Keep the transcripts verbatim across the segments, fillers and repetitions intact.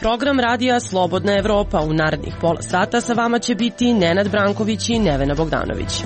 program radija Slobodna Evropa. U narednih pola sata sa vama će biti Nenad Branković i Nevena Bogdanović.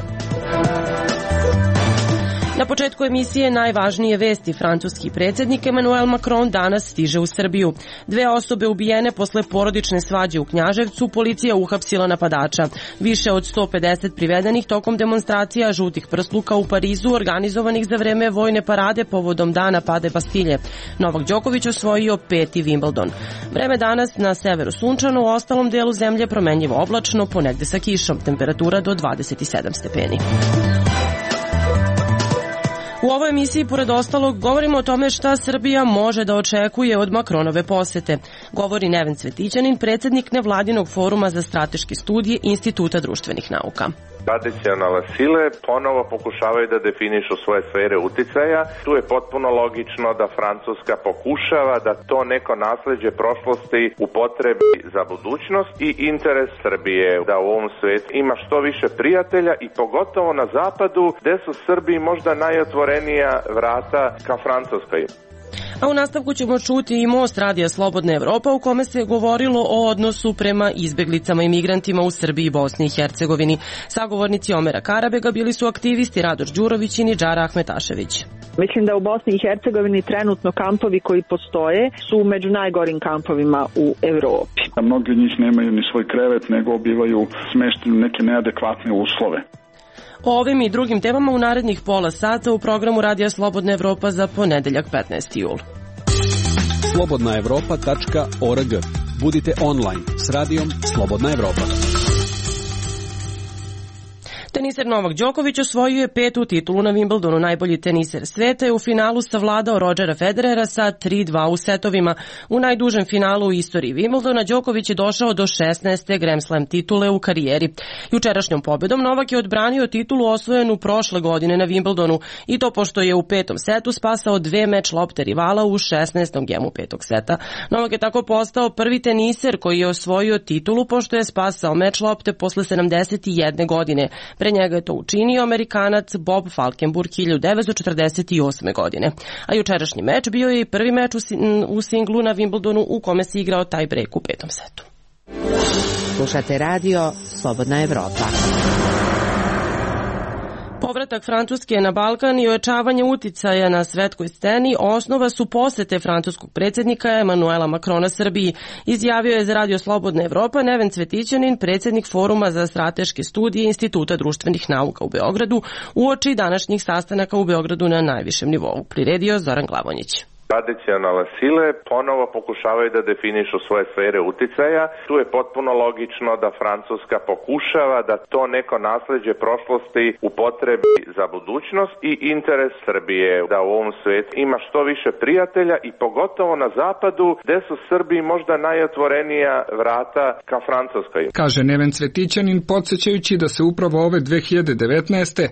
Na početku emisije najvažnije vesti. Francuski predsjednik Emmanuel Macron danas stiže u Srbiju. Dve osobe ubijene posle porodične svađe u Knjaževcu, policija uhapsila napadača. Više od sto pedeset privedenih tokom demonstracija žutih prsluka u Parizu organizovanih za vreme vojne parade povodom dana pade Bastilje. Novak Đoković osvojio peti Wimbledon. Vreme danas na severu sunčano, u ostalom delu zemlje promenljivo oblačno, ponegde sa kišom. Temperatura do dvadeset sedam stepeni. U ovoj emisiji, pored ostalog, govorimo o tome šta Srbija može da očekuje od Macronove posete. Govori Neven Cvetićanin, predsjednik nevladinog foruma za strateške studije Instituta društvenih nauka. Tradicionalne sile ponovo pokušavaju da definišu svoje sfere uticaja. Tu je potpuno logično da Francuska pokušava da to neko nasleđe prošlosti upotrebi za budućnost i interes Srbije da u ovom svijetu ima što više prijatelja i pogotovo na zapadu gde su Srbiji možda najotvorenija vrata ka Francuskoj. A u nastavku ćemo čuti i most radija Slobodna Evropa u kome se govorilo o odnosu prema izbeglicama i migrantima u Srbiji i Bosni i Hercegovini. Sagovornici Omera Karabega bili su aktivisti Radoš Đurović i Nidžara Ahmetašević. Mislim da u Bosni i Hercegovini trenutno kampovi koji postoje su među najgorim kampovima u Evropi. Mnogi od njih nemaju ni svoj krevet, nego bivaju smešteni u neke neadekvatne uslove. O ovim i drugim temama u narednih pola sata u programu Radija Slobodna Evropa za ponedeljak petnaesti jul. slobodna evropa tačka org. Budite online s radijom Slobodna Evropa. Teniser Novak Đoković osvojio je petu titulu na Wimbledonu. Najbolji teniser sveta je u finalu savladao Rodgera Federera sa tri dva u setovima. U najdužem finalu u istoriji Wimbledona Đoković je došao do šesnaeste Grand Slam titule u karijeri. Jučerašnjom pobedom Novak je odbranio titulu osvojenu prošle godine na Wimbledonu i to pošto je u petom setu spasao dve meč lopte rivala u šesnaestom gemu petog seta. Novak je tako postao prvi teniser koji je osvojio titulu pošto je spasao meč lopte posle sedamdeset jedne godine. Pre njega je to učinio Amerikanac Bob Falkenburg hiljadu devetsto četrdeset osme. godine. A jučerašnji meč bio je i prvi meč u singlu na Wimbledonu u kome se igrao taj break u petom setu. Slušate radio Slobodna Evropa. Povratak Francuske na Balkan i ojačavanje uticaja na svetskoj sceni osnova su posete francuskog predsjednika Emmanuela Macrona Srbiji, izjavio je za Radio Slobodna Evropa Neven Cvetićanin, predsjednik foruma za strateške studije Instituta društvenih nauka u Beogradu, uoči današnjih sastanaka u Beogradu na najvišem nivou. Priredio Zoran Glavonjić. Tradicionalne sile ponovo pokušavaju da definišu svoje sfere uticaja. Tu je potpuno logično da Francuska pokušava da to neko nasleđe prošlosti upotrebi za budućnost i interes Srbije da u ovom svijetu ima što više prijatelja i pogotovo na zapadu gde su Srbiji možda najotvorenija vrata ka Francuskoj. Kaže Neven Cvetićanin, podsjećajući da se upravo ove dve hiljade devetnaeste.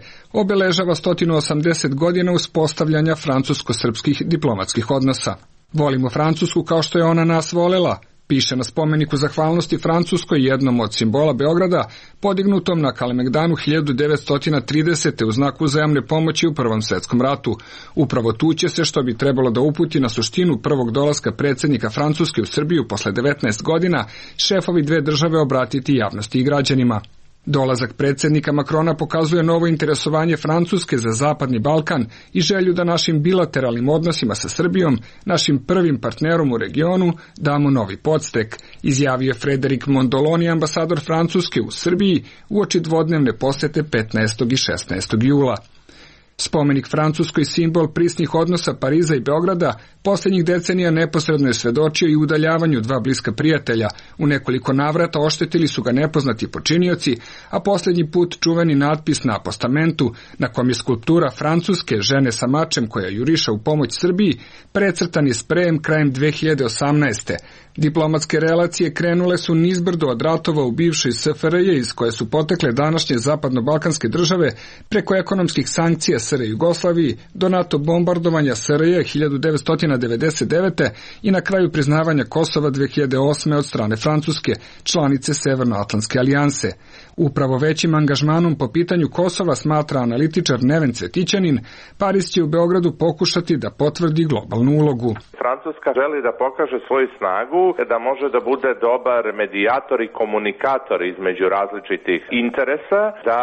obeležava sto osamdeset godina uspostavljanja francusko-srpskih diplomatskih odnosa. Volimo Francusku kao što je ona nas volela, piše na spomeniku zahvalnosti Francuskoj, jednom od simbola Beograda, podignutom na Kalemegdanu hiljadu devetsto tridesete. u znaku uzajamne pomoći u Prvom svetskom ratu. Upravo tu će se, što bi trebalo da uputi na suštinu prvog dolaska predsjednika Francuske u Srbiju posle devetnaest godina, šefovi dve države obratiti javnosti i građanima. Dolazak predsjednika Macrona pokazuje novo interesovanje Francuske za Zapadni Balkan i želju da našim bilateralnim odnosima sa Srbijom, našim prvim partnerom u regionu, damo novi podstek, izjavio Frederik Mondoloni, ambasador Francuske u Srbiji, uoči dvodnevne posete petnaestog i šesnaestog jula. Spomenik Francuskoj, simbol prisnih odnosa Pariza i Beograda, posljednjih decenija neposredno je svedočio i udaljavanju dva bliska prijatelja. U nekoliko navrata oštetili su ga nepoznati počinioci, a posljednji put čuveni natpis na postamentu, na kom je skulptura Francuske žene sa mačem koja juriša u pomoć Srbiji, precrtan je sprejem krajem dve hiljade osamnaeste. Diplomatske relacije krenule su nizbrdo od ratova u bivšoj S F R J iz koje su potekle današnje zapadno-balkanske države preko ekonomskih sankcija S R Jugoslaviji do NATO bombardovanja S R J hiljadu devetsto devedeset devete. i na kraju priznavanja Kosova dve hiljade osme. od strane Francuske, članice Severnoatlantske alijanse. Upravo većim angažmanom po pitanju Kosova, smatra analitičar Neven Cvetićanin, Pariz će u Beogradu pokušati da potvrdi globalnu ulogu. Francuska želi da pokaže svoju snagu, da može da bude dobar medijator i komunikator između različitih interesa, da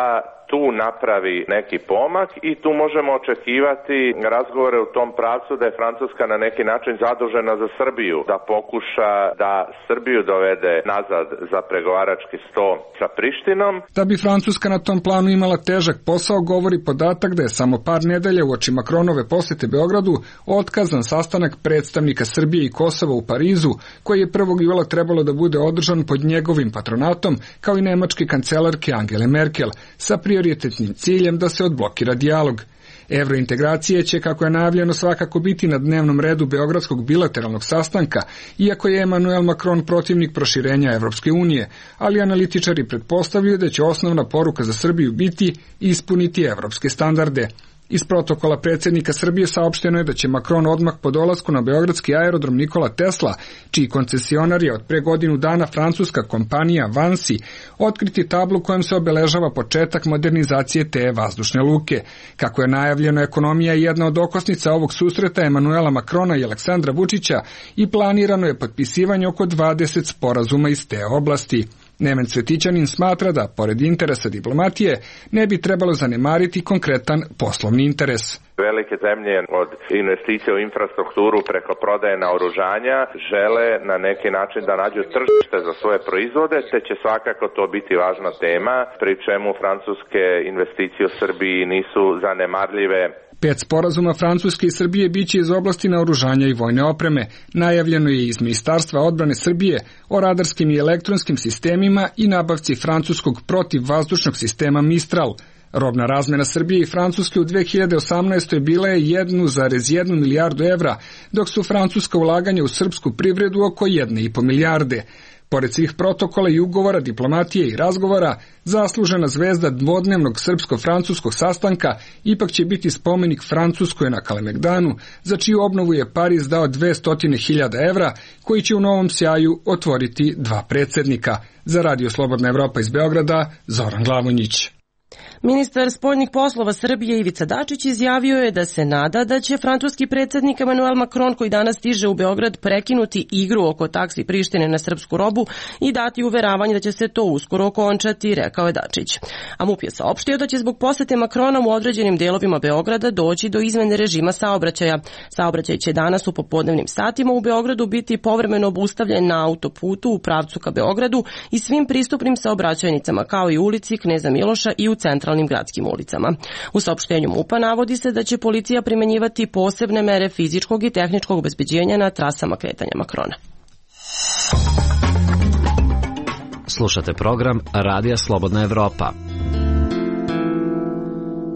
tu napravi neki pomak i tu možemo očekivati razgovore u tom pravcu da je Francuska na neki način zadužena za Srbiju, da pokuša da Srbiju dovede nazad za pregovarački sto sa Prištinom. Da bi Francuska na tom planu imala težak posao, govori podatak da je samo par nedelja uoči Makronove posete Beogradu otkazan sastanak predstavnika Srbije i Kosova u Parizu, koji je prvog jula trebalo da bude održan pod njegovim patronatom, kao i nemačke kancelarke Angele Merkel, sa prioritetnim ciljem da se odblokira dijalog. Evrointegracije će, kako je najavljeno, svakako biti na dnevnom redu beogradskog bilateralnog sastanka, iako je Emmanuel Macron protivnik proširenja Evropske unije, ali analitičari pretpostavljaju da će osnovna poruka za Srbiju biti ispuniti evropske standarde. Iz protokola predsjednika Srbije saopšteno je da će Macron odmah po dolasku na beogradski aerodrom Nikola Tesla, čiji koncesionar je od pre godinu dana francuska kompanija Vansi, otkriti tablu kojom se obeležava početak modernizacije te vazdušne luke. Kako je najavljeno, ekonomija je jedna od okosnica ovog susreta Emanuela Macrona i Aleksandra Vučića i planirano je potpisivanje oko dvadeset sporazuma iz te oblasti. Neven Cvetićanin smatra da, pored interesa diplomatije, ne bi trebalo zanemariti konkretan poslovni interes. Velike zemlje od investicije u infrastrukturu preko prodaje naoružanja žele na neki način da nađu tržište za svoje proizvode, te će svakako to biti važna tema, pri čemu francuske investicije u Srbiji nisu zanemarljive. Pet sporazuma Francuske i Srbije biće iz oblasti naoružanja i vojne opreme. Najavljeno je iz Ministarstva odbrane Srbije o radarskim i elektronskim sistemima i nabavci francuskog protivvazdušnog sistema Mistral. Robna razmena Srbije i Francuske u dve hiljade osamnaestoj bila je jedna zarez jedna milijardu evra, dok su francuska ulaganja u srpsku privredu oko jedne i po milijarde. Pored svih protokola i ugovora, diplomatije i razgovora, zaslužena zvezda dvodnevnog srpsko-francuskog sastanka ipak će biti spomenik Francuskoj na Kalemegdanu, za čiju obnovu je Pariz dao dvesta hiljada evra, koji će u novom sjaju otvoriti dva predsjednika. Za Radio Slobodna Evropa iz Beograda, Zoran Glavonjić. Ministar spoljnih poslova Srbije Ivica Dačić izjavio je da se nada da će francuski predsjednik Emmanuel Macron, koji danas stiže u Beograd, prekinuti igru oko taksi Prištine na srpsku robu i dati uveravanje da će se to uskoro okončati, rekao je Dačić. A MUP je saopštio da će zbog posete Macrona u određenim delovima Beograda doći do izmene režima saobraćaja. Saobraćaj će danas u popodnevnim satima u Beogradu biti povremeno obustavljen na autoputu u pravcu ka Beogradu i svim pristupnim saobraćajnicama, kao i ulici Kneza Miloša i u centralnim gradskim ulicama. U saopštenju MUP-a navodi se da će policija primenjivati posebne mere fizičkog i tehničkog obezbeđenja na trasama kretanja Macrona. Slušate program Radija Slobodna Evropa.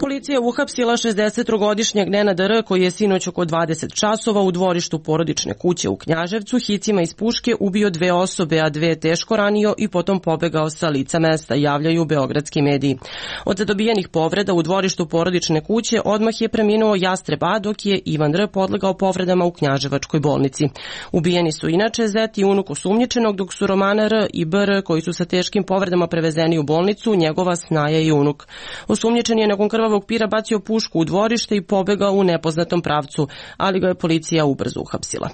Policija je uhapsila šezdesettrogodišnjeg Nenada R, koji je sinoć oko dvadeset časova u dvorištu porodične kuće u Knjaževcu hicima iz puške ubio dve osobe, a dve teško ranio i potom pobegao sa lica mesta, javljaju beogradski mediji. Od zadobijenih povreda u dvorištu porodične kuće odmah je preminuo Jastreb A, dok je Ivan R podlegao povredama u Knjaževačkoj bolnici. Ubijeni su inače zet i unuk osumnjičenog, dok su Romana R i B R, koji su sa teškim povredama prevezeni u bolnicu, njegova snaja i unuk. Osumnjičen je nakon krvavog pira bacio pušku u dvorište i pobegao u nepoznatom pravcu, ali ga je policija ubrzo uhapsila.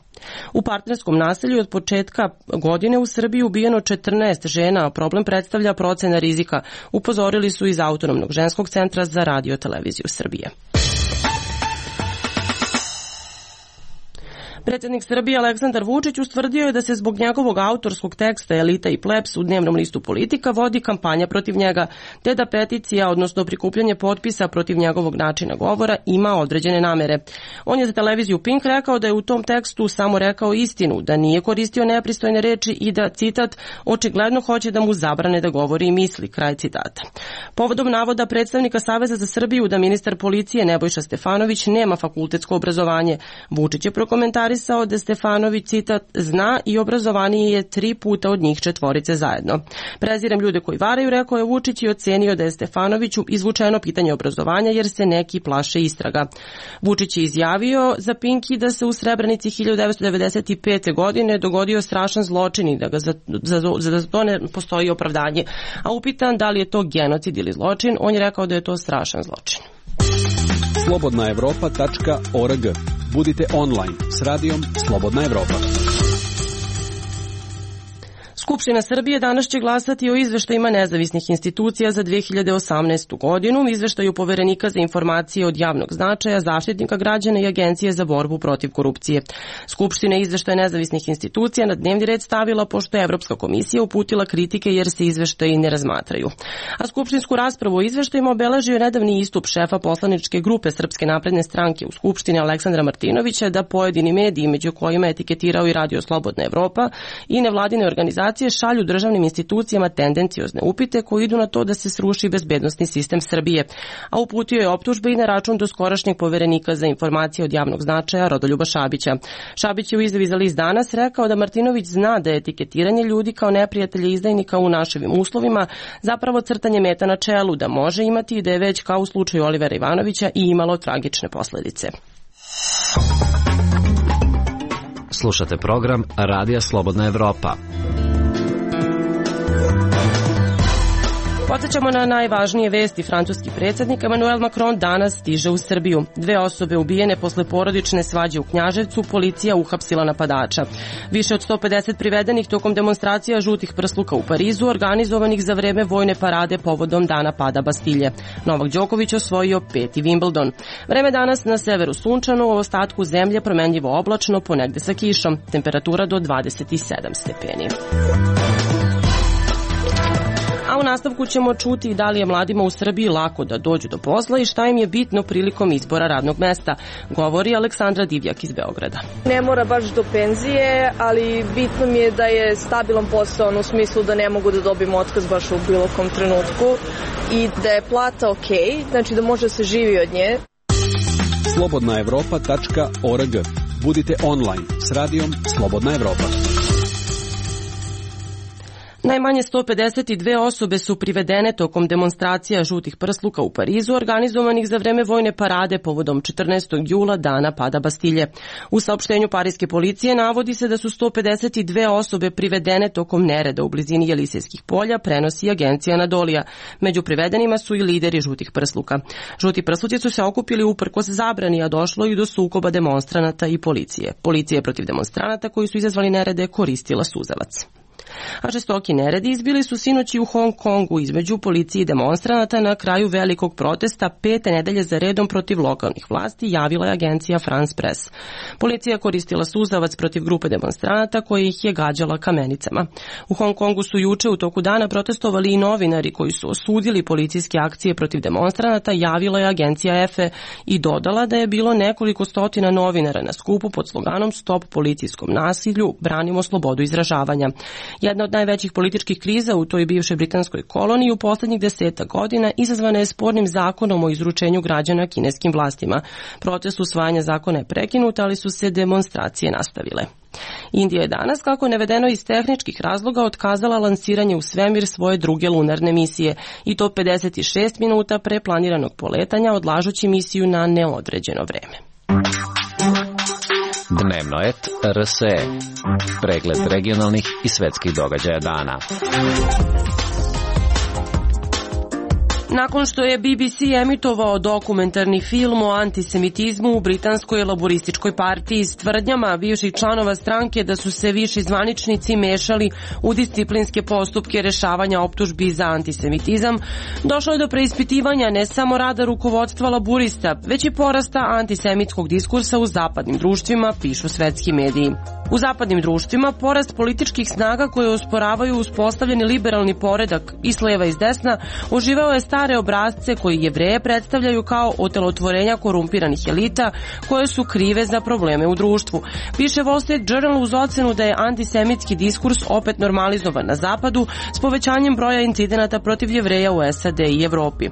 U partnerskom naselju od početka godine u Srbiji ubijeno četrnaest žena, a problem predstavlja procena rizika, upozorili su iz Autonomnog ženskog centra za radio televiziju Srbije. Predsjednik Srbije Aleksandar Vučić ustvrdio je da se zbog njegovog autorskog teksta Elita i plebs u dnevnom listu Politika vodi kampanja protiv njega, te da peticija, odnosno prikupljanje potpisa protiv njegovog načina govora, ima određene namere. On je za televiziju Pink rekao da je u tom tekstu samo rekao istinu, da nije koristio nepristojne reči i da, citat, očigledno hoće da mu zabrane da govori i misli, kraj citata. Povodom navoda predstavnika Saveza za Srbiju da ministar policije Nebojša Stefanović nema fakultetsko obrazovanje, Vučić je prokomentarisao komentarisao da Stefanović, citat, zna i obrazovaniji je tri puta od njih četvorice zajedno. Prezirem ljude koji varaju, rekao je Vučić i ocenio da je Stefanoviću izvučeno pitanje obrazovanja jer se neki plaše istraga. Vučić je izjavio za Pinki da se u Srebrenici hiljadu devetsto devedeset pete. godine dogodio strašan zločin i da ga za, za, za to ne postoji opravdanje. A upitan da li je to genocid ili zločin, on je rekao da je to strašan zločin. slobodna evropa tačka org. Budite online s radijom Slobodna Evropa. Skupština Srbije danas će glasati o izveštajima nezavisnih institucija za dve hiljade osamnaestu. godinu, izveštaju Poverenika za informacije od javnog značaja, Zaštitnika građana i Agencije za borbu protiv korupcije. Skupština izveštaja nezavisnih institucija na dnevni red stavila pošto je Evropska komisija uputila kritike jer se izveštaji ne razmatraju. A skupštinsku raspravu o izveštajima obeležio je nedavni istup šefa poslaničke grupe Srpske napredne stranke u Skupštini Aleksandra Martinovića da pojedini mediji, među kojima je etiketirao i Radio Slobodna Evropa i nevladine organizacije, šalju državnim institucijama tendenciozne upite koji idu na to da se sruši bezbednosni sistem Srbije, a uputio je optužbe i na račun doskorašnjeg Poverenika za informacije od javnog značaja Rodoljuba Šabića. Šabić je u izjavi za list Danas rekao da Martinović zna da je etiketiranje ljudi kao neprijatelje izdajnika u naševim uslovima zapravo crtanje meta na čelu, da može imati i da je već kao u slučaju Olivera Ivanovića i imalo tragične posledice. Slušate program Radija Slobodna Evropa. Podsećamo na najvažnije vesti. Francuski predsjednik Emmanuel Macron danas stiže u Srbiju. Dve osobe ubijene posle porodične svađe u Knjaževcu, policija uhapsila napadača. Više od sto pedeset privedenih tokom demonstracija žutih prsluka u Parizu, organizovanih za vreme vojne parade povodom dana pada Bastilje. Novak Đoković osvojio peti Wimbledon. Vreme danas na severu sunčano, u ostatku zemlje promenljivo oblačno, ponegde sa kišom. Temperatura do dvadeset sedam stepeni. A u nastavku ćemo čuti da li je mladima u Srbiji lako da dođu do posla i šta im je bitno prilikom izbora radnog mesta, govori Aleksandra Divjak iz Beograda. Ne mora baš do penzije, ali bitno mi je da je stabilan posao, u smislu da ne mogu da dobijem otkaz baš u bilo kom trenutku i da je plata okej, znači da može se živi od nje. slobodna evropa tačka org. Budite online s radijom Slobodna Evropa. Najmanje sto pedeset dve osobe su privedene tokom demonstracija žutih prsluka u Parizu, organizovanih za vreme vojne parade povodom četrnaestog jula, dana pada Bastilje. U saopštenju parijske policije navodi se da su sto pedeset dve osobe privedene tokom nereda u blizini Jelisejskih polja, prenosi agencija Anadolija. Među privedenima su i lideri žutih prsluka. Žuti prsluci su se okupili uprkos zabrani, a došlo i do sukoba demonstranata i policije. Policija protiv demonstranata koji su izazvali nerede koristila suzavac. A žestoki neredi izbili su sinoći u Hong Kongu između policije i demonstranata na kraju velikog protesta pete nedelje za redom protiv lokalnih vlasti, javila je agencija France Press. Policija koristila suzavac protiv grupe demonstranata koje ih je gađala kamenicama. U Hong Kongu su juče u toku dana protestovali i novinari koji su osudili policijske akcije protiv demonstranata, javila je agencija E F E i dodala da je bilo nekoliko stotina novinara na skupu pod sloganom Stop policijskom nasilju, branimo slobodu izražavanja. Jedna od najvećih političkih kriza u toj bivšoj britanskoj koloniji u poslednjih deseta godina izazvana je spornim zakonom o izručenju građana kineskim vlastima. Proces usvajanja zakona je prekinut, ali su se demonstracije nastavile. Indija je danas, kako je navedeno iz tehničkih razloga, otkazala lansiranje u svemir svoje druge lunarne misije i to pedeset šest minuta pre planiranog poletanja, odlažući misiju na neodređeno vreme. Dnevno et R S E. Pregled regionalnih i svetskih događaja dana. Nakon što je B B C emitovao dokumentarni film o antisemitizmu u britanskoj laborističkoj partiji s tvrdnjama bivših članova stranke da su se viši zvaničnici mešali u disciplinske postupke rešavanja optužbi za antisemitizam, došlo je do preispitivanja ne samo rada rukovodstva laborista, već i porasta antisemitskog diskursa u zapadnim društvima, pišu svetski mediji. U zapadnim društvima porast političkih snaga koje osporavaju uspostavljeni liberalni poredak i s leva i s desna uživao je stav stare obrazce koji Jevreje predstavljaju kao otelotvorenja korumpiranih elita koje su krive za probleme u društvu. Piše Wall Street Journal uz ocenu da je antisemitski diskurs opet normalizovan na zapadu s povećanjem broja incidenata protiv Jevreja u S A D i Evropi.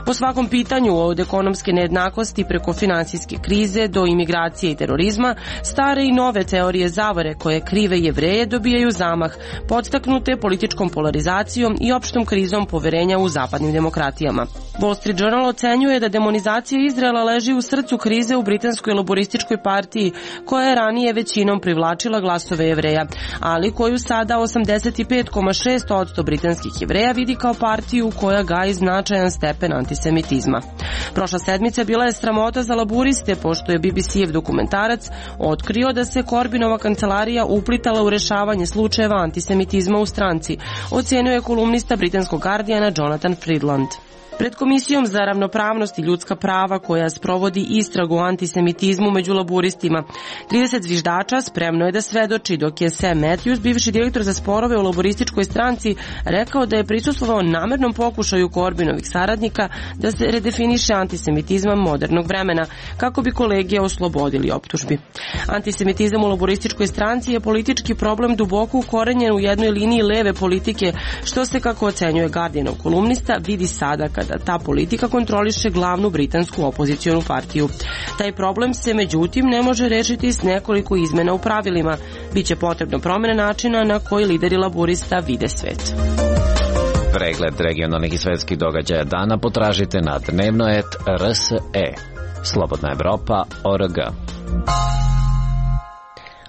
Po svakom pitanju od ekonomske nejednakosti preko finansijske krize do imigracije i terorizma, stare i nove teorije zavare koje krive Jevreje dobijaju zamah, podstaknute političkom polarizacijom i opštom krizom poverenja u zapadnim demokratijama. Wall Street Journal ocenjuje da demonizacija Izraela leži u srcu krize u britanskoj laborističkoj partiji, koja je ranije većinom privlačila glasove Jevreja, ali koju sada osamdeset pet zarez šest posto britanskih Jevreja vidi kao partiju koja gaji značajan stepen antisemitizma. Prošla sedmica bila je sramota za laburiste, pošto je B B C-ev dokumentarac otkrio da se Corbynova kancelarija uplitala u rešavanje slučajeva antisemitizma u stranci, ocenio je kolumnista britanskog Guardiana Jonathan Freedland. Pred Komisijom za ravnopravnost i ljudska prava koja sprovodi istragu o antisemitizmu među laburistima, trideset zviždača spremno je da svedoči, dok je Sam Matthews, bivši direktor za sporove u laborističkoj stranci, rekao da je prisustvovao namernom pokušaju Corbynovih saradnika da se redefiniše antisemitizam modernog vremena, kako bi kolege oslobodili optužbi. Antisemitizam u laborističkoj stranci je politički problem duboko ukorenjen u jednoj liniji leve politike, što se, kako ocenjuje Guardianov kolumnista, vidi sada kada ta politika kontroliše glavnu britansku opozicionu partiju. Taj problem se međutim ne može rešiti s nekoliko izmena u pravilima. Biće potrebno promjene načina na koji lideri laburista vide svet. Pregled regionalnih i svetskih događaja dana potražite na dnevno et r s e. Slobodna Evropa o r g.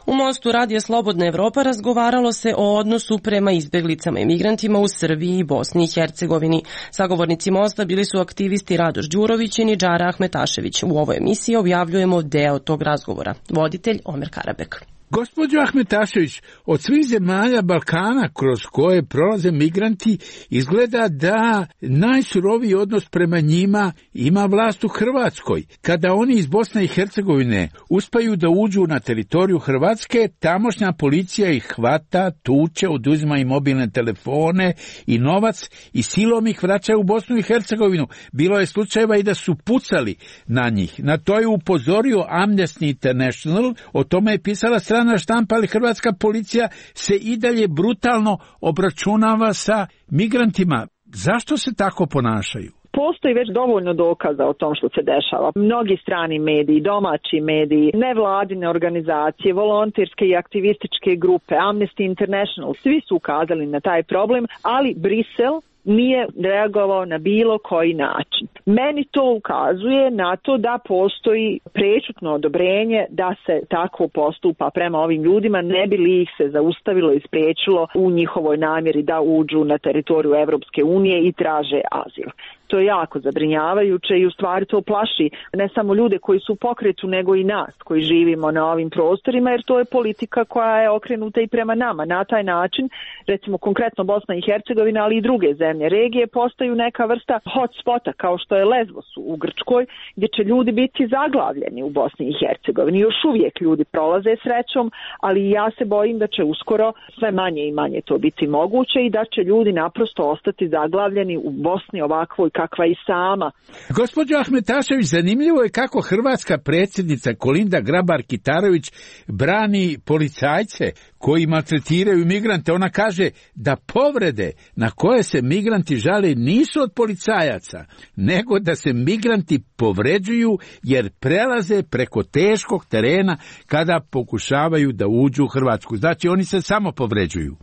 U Mostu radija Slobodna Evropa razgovaralo se o odnosu prema izbeglicama i migrantima u Srbiji i Bosni i Hercegovini. Sagovornici Mosta bili su aktivisti Radoš Đurović i Nidžara Ahmetašević. U ovoj emisiji objavljujemo deo tog razgovora. Voditelj Omer Karabek. Gospođo Ahmetašević, od svih zemalja Balkana kroz koje prolaze migranti izgleda da najsuroviji odnos prema njima ima vlast u Hrvatskoj. Kada oni iz Bosne i Hercegovine uspaju da uđu na teritoriju Hrvatske, tamošnja policija ih hvata, tuče, oduzima im mobilne telefone i novac i silom ih vraća u Bosnu i Hercegovinu. Bilo je slučajeva i da su pucali na njih. Na to je upozorio Amnesty International, o tome je pisala strana štampa, ali hrvatska policija se i dalje brutalno obračunava sa migrantima. Zašto se tako ponašaju? Postoji već dovoljno dokaza o tom što se dešava. Mnogi strani mediji, domaći mediji, nevladine organizacije, volonterske i aktivističke grupe, Amnesty International, svi su ukazali na taj problem, ali Brisel nije reagovao na bilo koji način. Meni to ukazuje na to da postoji prečutno odobrenje da se tako postupa prema ovim ljudima, ne bi li ih se zaustavilo i spriječilo u njihovoj namjeri da uđu na teritoriju Evropske unije i traže azil. To je jako zabrinjavajuće i u stvari to plaši ne samo ljude koji su u pokretu, nego i nas koji živimo na ovim prostorima, jer to je politika koja je okrenuta i prema nama. Na taj način, recimo konkretno Bosna i Hercegovina, ali i druge zemlje regije postaju neka vrsta hotspota kao što je Lesbos u Grčkoj, gdje će ljudi biti zaglavljeni u Bosni i Hercegovini. Još uvijek ljudi prolaze srećom, ali ja se bojim da će uskoro sve manje i manje to biti moguće i da će ljudi naprosto ostati zaglavljeni u Bosni ovakvoj kakva i sama. Gospođo Ahmetašević, zanimljivo je kako hrvatska predsjednica Kolinda Grabar-Kitarović brani policajce koji maltretiraju migrante. Ona kaže da povrede na koje se migranti žale nisu od policajaca, nego da se migranti povređuju jer prelaze preko teškog terena kada pokušavaju da uđu u Hrvatsku. Znači oni se samo povređuju.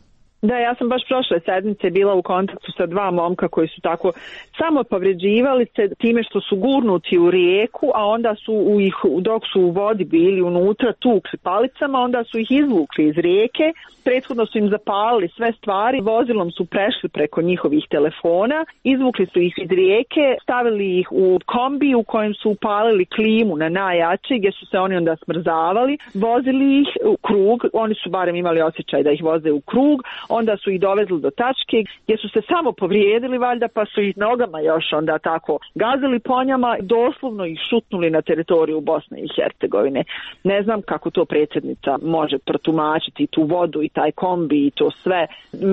Da, ja sam baš prošle sedmice bila u kontaktu sa dva momka koji su tako samo povređivali se time što su gurnuti u rijeku, a onda su u ih, dok su u vodi bili unutra tukli palicama, onda su ih izvukli iz rijeke, prethodno su im zapalili sve stvari, vozilom su prešli preko njihovih telefona, izvukli su ih iz rijeke, stavili ih u kombi u kojem su upalili klimu na najjači, gdje su se oni onda smrzavali, vozili ih u krug, oni su barem imali osjećaj da ih voze u krug, onda su ih dovezli do tačke gdje su se samo povrijedili valjda, pa su ih nogama još onda tako gazili po njama, doslovno ih šutnuli na teritoriju Bosne i Hercegovine. Ne znam kako to predsjednica može protumačiti tu vodu i taj kombi i to sve.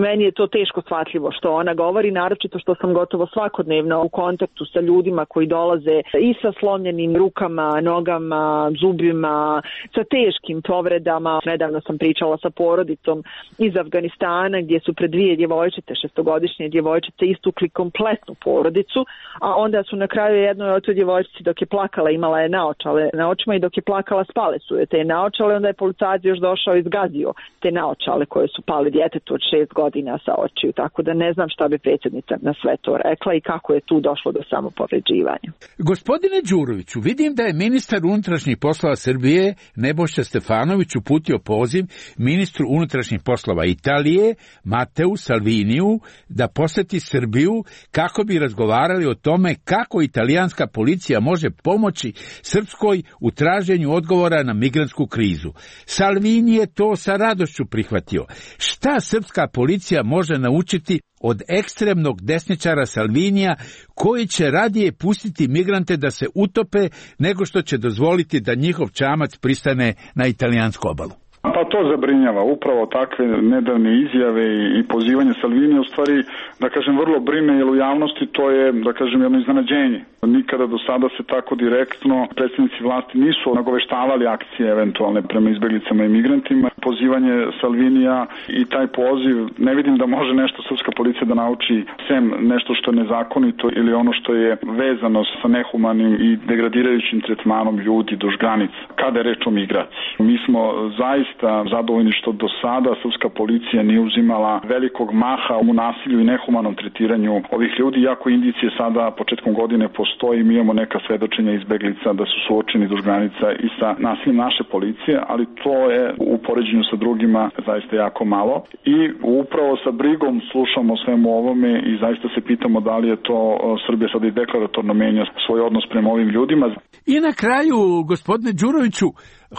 Meni je to teško shvatljivo što ona govori, naročito što sam gotovo svakodnevno u kontaktu sa ljudima koji dolaze i sa slomljenim rukama, nogama, zubima, sa teškim povredama. Nedavno sam pričala sa porodicom iz Afganistana gdje su pred dvije djevojčice, šestogodišnje djevojčice, istukli kompletnu porodicu, a onda su na kraju jednoj od toj djevojčici dok je plakala imala je naočale na očima i dok je plakala spale su je te naočale, onda je policajac još došao i izgazio te naočale koje su pali djetetu od šest godina sa očiju, tako da ne znam šta bi predsjednica na sve to rekla i kako je tu došlo do samopovređivanja. Gospodine Đuroviću, vidim da je ministar unutrašnjih poslova Srbije Nebojša Stefanović uputio poziv ministru unutrašnjih poslova Italije Mateu Salviniju da poseti Srbiju kako bi razgovarali o tome kako italijanska policija može pomoći Srpskoj u traženju odgovora na migrantsku krizu. Salvini je to sa radošću prihvatio. Šta srpska policija može naučiti od ekstremnog desničara Salvinija koji će radije pustiti migrante da se utope nego što će dozvoliti da njihov čamac pristane na italijansku obalu? Pa to zabrinjava. Upravo takve nedavne izjave i pozivanje Salvinija u stvari, da kažem, vrlo brine, jer u javnosti to je, da kažem, jedno iznenađenje. Nikada do sada se tako direktno predstavnici vlasti nisu nagoveštavali akcije eventualne prema izbeglicama i migrantima. Pozivanje Salvinija i taj poziv, ne vidim da može nešto srpska policija da nauči, sem nešto što je nezakonito ili ono što je vezano sa nehumanim i degradirajućim tretmanom ljudi duž granica, kada je reč o migraciji. Mi smo zaista zadovoljni što do sada srpska policija nije uzimala velikog maha u nasilju i nehumanom tretiranju ovih ljudi, iako indicije sada početkom godine postoji, mi imamo neka svedočenja izbeglica da su suočeni duž granica i sa nasiljem naše policije, ali to je u poređenju sa drugima zaista jako malo i upravo sa brigom slušamo svemu ovome i zaista se pitamo da li je to Srbija sada i deklaratorno menja svoj odnos prema ovim ljudima. I na kraju, gospodine Đuroviću,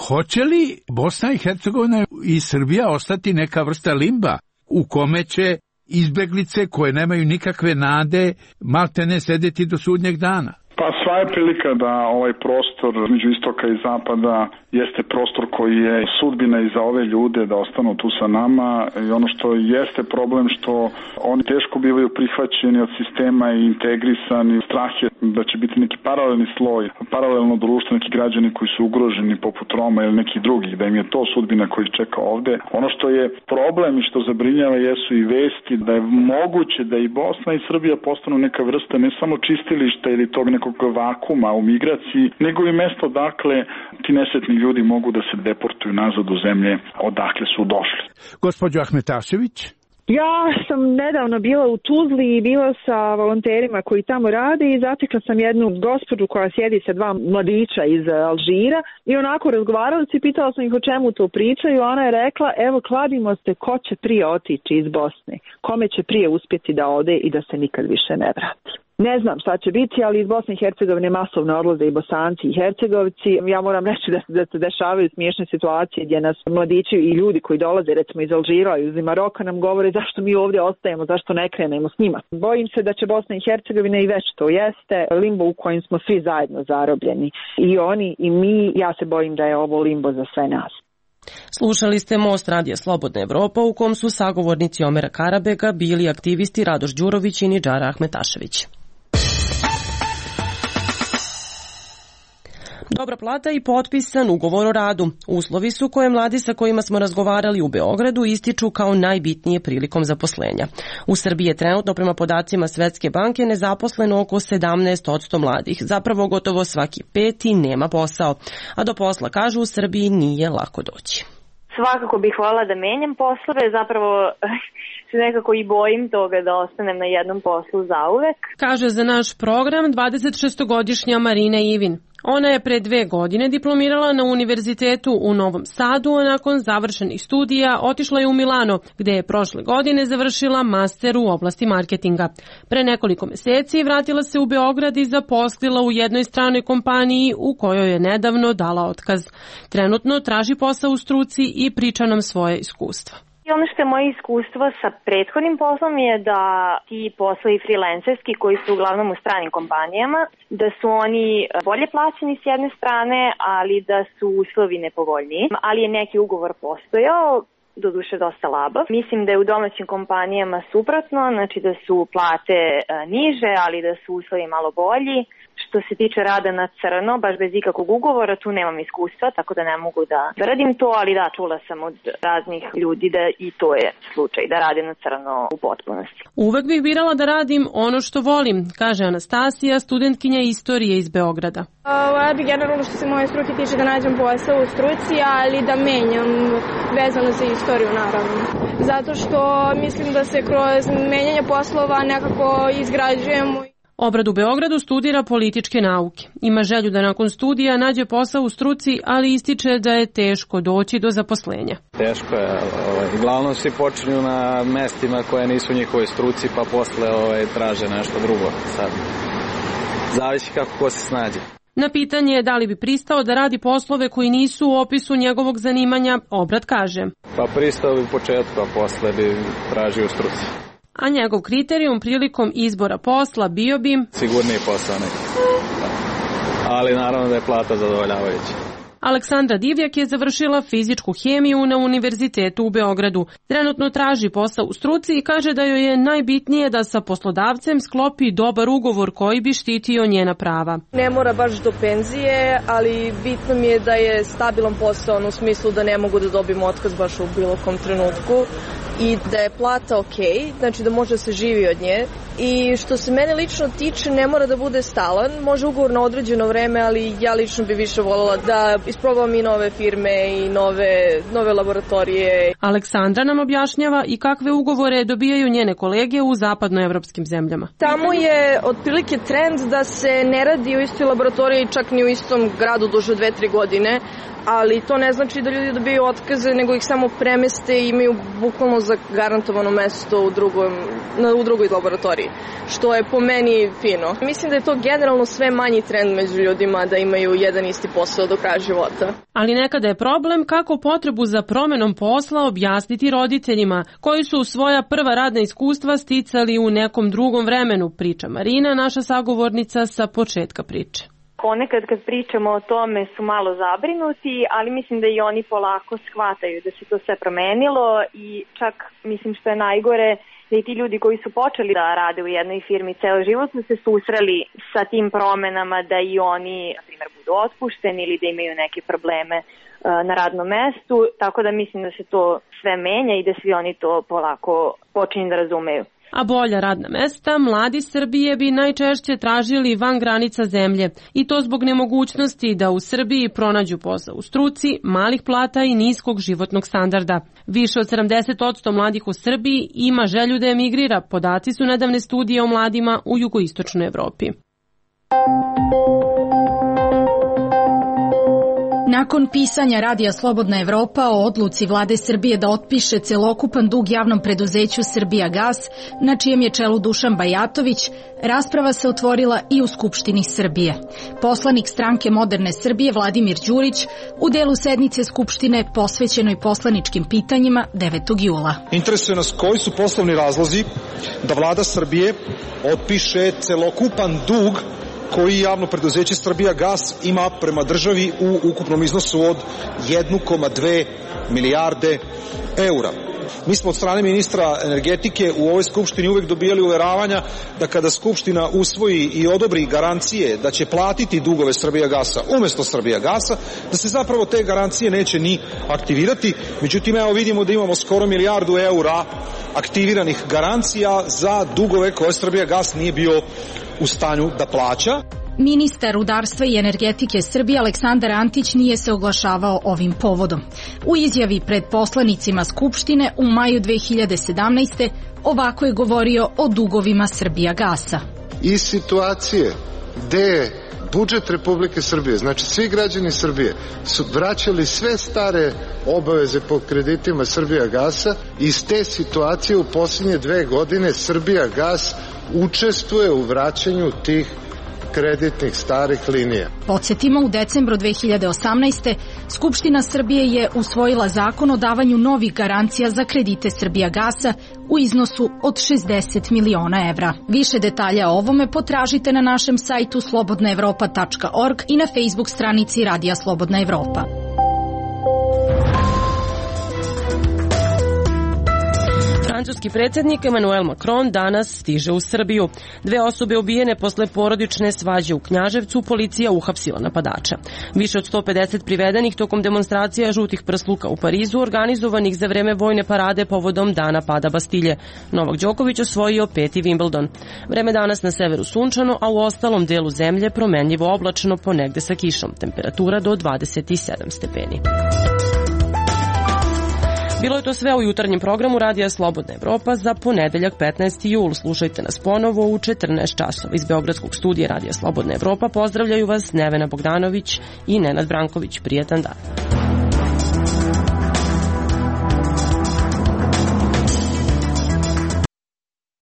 hoće li Bosna i Hercegovina i Srbija ostati neka vrsta limba u kome će izbeglice koje nemaju nikakve nade maltene sedeti do sudnjeg dana? Pa sva je prilika da ovaj prostor između istoka i zapada jeste prostor koji je sudbina i za ove ljude da ostanu tu sa nama i ono što jeste problem što oni teško bivaju prihvaćeni od sistema i integrisani. Strah je da će biti neki paralelni sloj, paralelno društvo, neki građani koji su ugroženi poput Roma ili neki drugi, da im je to sudbina koji ih čeka ovde. Ono što je problem i što zabrinjava jesu i vesti da je moguće da i Bosna i Srbija postanu neka vrsta ne samo čistilišta ili tog nekog vakuma u migraciji, nego i mesto dakle ti nesretni ljudi mogu da se deportuju nazad u zemlje odakle su došli. Gospođo Ahmetašević? Ja sam nedavno bila u Tuzli i bila sa volonterima koji tamo rade i zatekla sam jednu gospođu koja sjedi sa dva mladića iz Alžira i onako razgovarali se i pitala sam ih o čemu to pričaju. Ona je rekla, evo kladimo se ko će prije otići iz Bosne, kome će prije uspjeti da ode i da se nikad više ne vrati. Ne znam šta će biti, ali iz Bosne i Hercegovine masovno odlaze i Bosanci i Hercegovci. Ja moram reći da, da se dešavaju smiješne situacije gdje nas mladići i ljudi koji dolaze recimo iz Alžira i iz Maroka nam govore zašto mi ovdje ostajemo, zašto ne krenemo s njima. Bojim se da će Bosna i Hercegovina i već to jeste limbo u kojem smo svi zajedno zarobljeni. I oni i mi, ja se bojim da je ovo limbo za sve nas. Slušali ste Most radija Slobodna Evropa u kom su sagovornici Omera Karabega bili aktivisti Radoš Đurović i Nidžara Ahmetašević. Dobra plata i potpisan ugovor o radu. Uslovi su koje mladi sa kojima smo razgovarali u Beogradu ističu kao najbitnije prilikom zaposlenja. U Srbiji je trenutno prema podacima Svetske banke nezaposleno oko sedamnaest posto mladih. Zapravo gotovo svaki peti nema posao. A do posla, kažu, u Srbiji nije lako doći. Svakako bih voljela da menjam poslove, zapravo se nekako i bojim toga da ostanem na jednom poslu zauvek. Kaže za naš program dvadesetšestogodišnja Marina Ivin. Ona je pre dve godine diplomirala na univerzitetu u Novom Sadu, a nakon završenih studija otišla je u Milano, gde je prošle godine završila master u oblasti marketinga. Pre nekoliko meseci vratila se u Beograd i zaposlila u jednoj stranoj kompaniji u kojoj je nedavno dala otkaz. Trenutno traži posao u struci i priča nam svoje iskustva. I ono što je moje iskustvo sa prethodnim poslom je da ti poslovi freelancerski koji su uglavnom u stranim kompanijama, da su oni bolje plaćeni s jedne strane, ali da su uslovi nepovoljniji, ali je neki ugovor postojao doduše dosta labav. Mislim da je u domaćim kompanijama suprotno, znači da su plate niže, ali da su uslovi malo bolji. Što se tiče rada na crno, baš bez ikakvog ugovora, tu nemam iskustva, tako da ne mogu da, da radim to, ali da, čula sam od raznih ljudi da i to je slučaj, da rade na crno u potpunosti. Uvek bih birala da radim ono što volim, kaže Anastasija, studentkinja istorije iz Beograda. Ja bih generalno što se moje struke tiče da nađem posao u struci, ali da menjam vezano za istoriju naravno. Zato što mislim da se kroz menjanje poslova nekako izgrađujemo. Obrad u Beogradu studira političke nauke. Ima želju da nakon studija nađe posao u struci, ali ističe da je teško doći do zaposlenja. Teško je. Ovaj, uglavnom svi počinju na mestima koje nisu u njihovoj struci, pa posle ovaj, traže nešto drugo. Sad, zavisi kako ko se snađe. Na pitanje da li bi pristao da radi poslove koji nisu u opisu njegovog zanimanja, Obrad kaže. Pa pristao bi u početku, a posle bi tražio u struci. A njegov kriterijum prilikom izbora posla bio bi sigurniji posao neki. Ali naravno da je plata zadovoljavajuća. Aleksandra Divjak je završila fizičku hemiju na Univerzitetu u Beogradu. Trenutno traži posao u struci i kaže da joj je najbitnije da sa poslodavcem sklopi dobar ugovor koji bi štitio njena prava. Ne mora baš do penzije, ali bitno mi je da je stabilan posao u smislu da ne mogu da dobijem otkaz baš u bilo kom trenutku i da je plata ok, znači da može da se živi od nje. I što se mene lično tiče, ne mora da bude stalan, može ugovor na određeno vreme, ali ja lično bi više voljela da isprobam i nove firme i nove, nove laboratorije. Aleksandra nam objašnjava i kakve ugovore dobijaju njene kolege u zapadnoevropskim zemljama. Tamo je otprilike trend da se ne radi u istoj laboratoriji, čak ni u istom gradu duže dve, tri godine, ali to ne znači da ljudi dobiju otkaze, nego ih samo premeste i imaju bukvalno zagarantovano mesto u, drugom, u drugoj laboratoriji, što je po meni fino. Mislim da je to generalno sve manji trend među ljudima da imaju jedan isti posao do kraja života. Ali nekada je problem kako potrebu za promenom posla objasniti roditeljima, koji su svoja prva radna iskustva sticali u nekom drugom vremenu, priča Marina, naša sagovornica sa početka priče. Ponekad kad pričamo o tome su malo zabrinuti, ali mislim da i oni polako shvataju da se to sve promenilo i čak mislim što je najgore da i ti ljudi koji su počeli da rade u jednoj firmi ceo život su se susreli sa tim promenama da i oni, na primjer, budu otpušteni ili da imaju neke probleme na radnom mestu, tako da mislim da se to sve menja i da svi oni to polako počinju da razumeju. A bolja radna mesta mladi Srbije bi najčešće tražili van granica zemlje i to zbog nemogućnosti da u Srbiji pronađu posao u struci, malih plata i niskog životnog standarda. Više od sedamdeset posto mladih u Srbiji ima želju da emigrira, podaci su nedavne studije o mladima u jugoistočnoj Evropi. Nakon pisanja Radija Slobodna Evropa o odluci vlade Srbije da otpiše celokupan dug javnom preduzeću Srbijagas, na čijem je čelu Dušan Bajatović, rasprava se otvorila i u Skupštini Srbije. Poslanik stranke Moderne Srbije Vladimir Đurić u delu sednice Skupštine posvećenoj poslaničkim pitanjima devetog jula. Interesuje nas koji su poslovni razlozi da vlada Srbije otpiše celokupan dug koji javno preduzeće Srbijagas ima prema državi u ukupnom iznosu od jedan zarez dve milijarde eura. Mi smo od strane ministra energetike u ovoj Skupštini uvek dobijali uveravanja da kada Skupština usvoji i odobri garancije da će platiti dugove Srbijagasa umesto Srbijagasa, da se zapravo te garancije neće ni aktivirati. Međutim, evo vidimo da imamo skoro milijardu eura aktiviranih garancija za dugove koje Srbijagas nije bio u stanju da plaća. Ministar rudarstva i energetike Srbije Aleksandar Antić nije se oglašavao ovim povodom. U izjavi pred poslanicima Skupštine u maju dve hiljade sedamnaeste. ovako je govorio o dugovima Srbijagasa. Iz situacije gde je budžet Republike Srbije, znači svi građani Srbije, su vraćali sve stare obaveze po kreditima Srbijagasa, iz te situacije u posljednje dve godine Srbijagas učestvuje u vraćanju tih kreditnih starih linija. Podsjetimo, u decembru dve hiljade osamnaeste. Skupština Srbije je usvojila zakon o davanju novih garancija za kredite Srbijagasa u iznosu od šezdeset miliona evra. Više detalja o ovome potražite na našem sajtu slobodna evropa tačka org i na Facebook stranici Radija Slobodna Evropa. Francuski predsjednik Emmanuel Macron danas stiže u Srbiju. Dve osobe ubijene posle porodične svađe u Knjaževcu policija uhapsila napadača. Više od sto pedeset privedenih tokom demonstracija žutih prsluka u Parizu organizovanih za vreme vojne parade povodom dana pada Bastilje. Novak Đoković osvojio peti Wimbledon. Vreme danas na severu sunčano, a u ostalom delu zemlje promenljivo oblačno, ponegde sa kišom. Temperatura do dvadeset sedam stepeni. Bilo je to sve u jutarnjem programu Radija Slobodna Evropa za ponedeljak petnaesti jul. Slušajte nas ponovo u četrnaest časova. Iz Beogradskog studija Radija Slobodna Evropa pozdravljaju vas Nevena Bogdanović i Nenad Branković. Prijetan dan.